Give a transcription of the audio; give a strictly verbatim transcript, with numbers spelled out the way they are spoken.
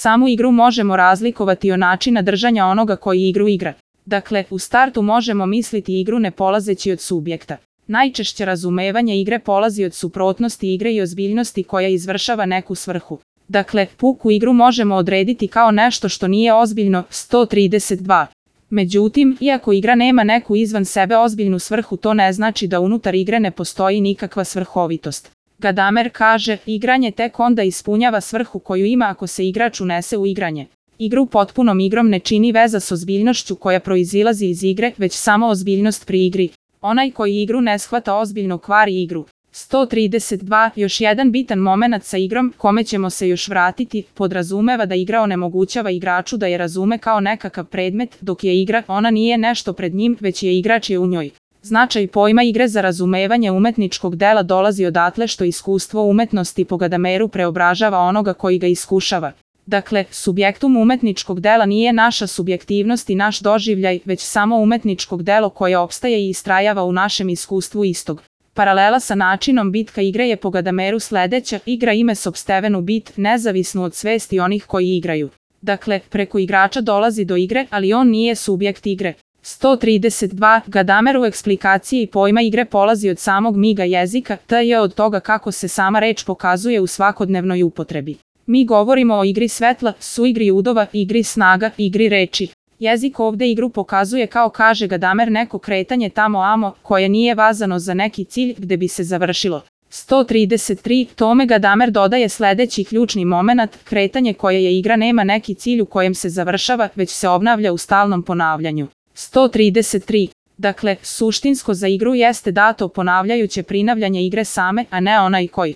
Samu igru možemo razlikovati od načina držanja onoga koji igru igra. Dakle, u startu možemo misliti igru ne polazeći od subjekta. Najčešće razumevanje igre polazi od suprotnosti igre i ozbiljnosti koja izvršava neku svrhu. Dakle, puku igru možemo odrediti kao nešto što nije ozbiljno. sto trideset dva. Međutim, iako igra nema neku izvan sebe ozbiljnu svrhu, to ne znači da unutar igre ne postoji nikakva svrhovitost. Gadamer kaže, igranje tek onda ispunjava svrhu koju ima ako se igrač unese u igranje. Igru potpunom igrom ne čini veza s ozbiljnošću koja proizilazi iz igre, već samo ozbiljnost pri igri. Onaj koji igru ne shvata ozbiljno kvari igru. sto trideset dva. Još jedan bitan momenat sa igrom, kome ćemo se još vratiti, podrazumeva da igra onemogućava igraču da je razume kao nekakav predmet, dok je igra, ona nije nešto pred njim, već je igrač je u njoj. Značaj pojma igre za razumevanje umetničkog dela dolazi odatle što iskustvo umetnosti po Gadameru preobražava onoga koji ga iskušava. Dakle, subjektum umetničkog dela nije naša subjektivnost i naš doživljaj, već samo umetničkog delo koje opstaje i istrajava u našem iskustvu istog. Paralela sa načinom bitka igre je po Gadameru sledeća, igra ime sopstvenu bit, nezavisnu od svesti onih koji igraju. Dakle, preko igrača dolazi do igre, ali on nije subjekt igre. sto trideset dva. Gadamer u eksplikaciji pojma igre polazi od samog miga jezika, te je od toga kako se sama reč pokazuje u svakodnevnoj upotrebi. Mi govorimo o igri svetla, suigri udova, igri snaga, igri reči. Jezik ovde igru pokazuje kao, kaže Gadamer, neko kretanje tamo amo, koje nije vazano za neki cilj gde bi se završilo. sto trideset tri. Tome Gadamer dodaje sledeći ključni momenat, kretanje koje je igra nema neki cilj u kojem se završava, već se obnavlja u stalnom ponavljanju. sto trideset tri. Dakle, suštinsko za igru jeste dato ponavljajuće prinavljanje igre same, a ne onaj koji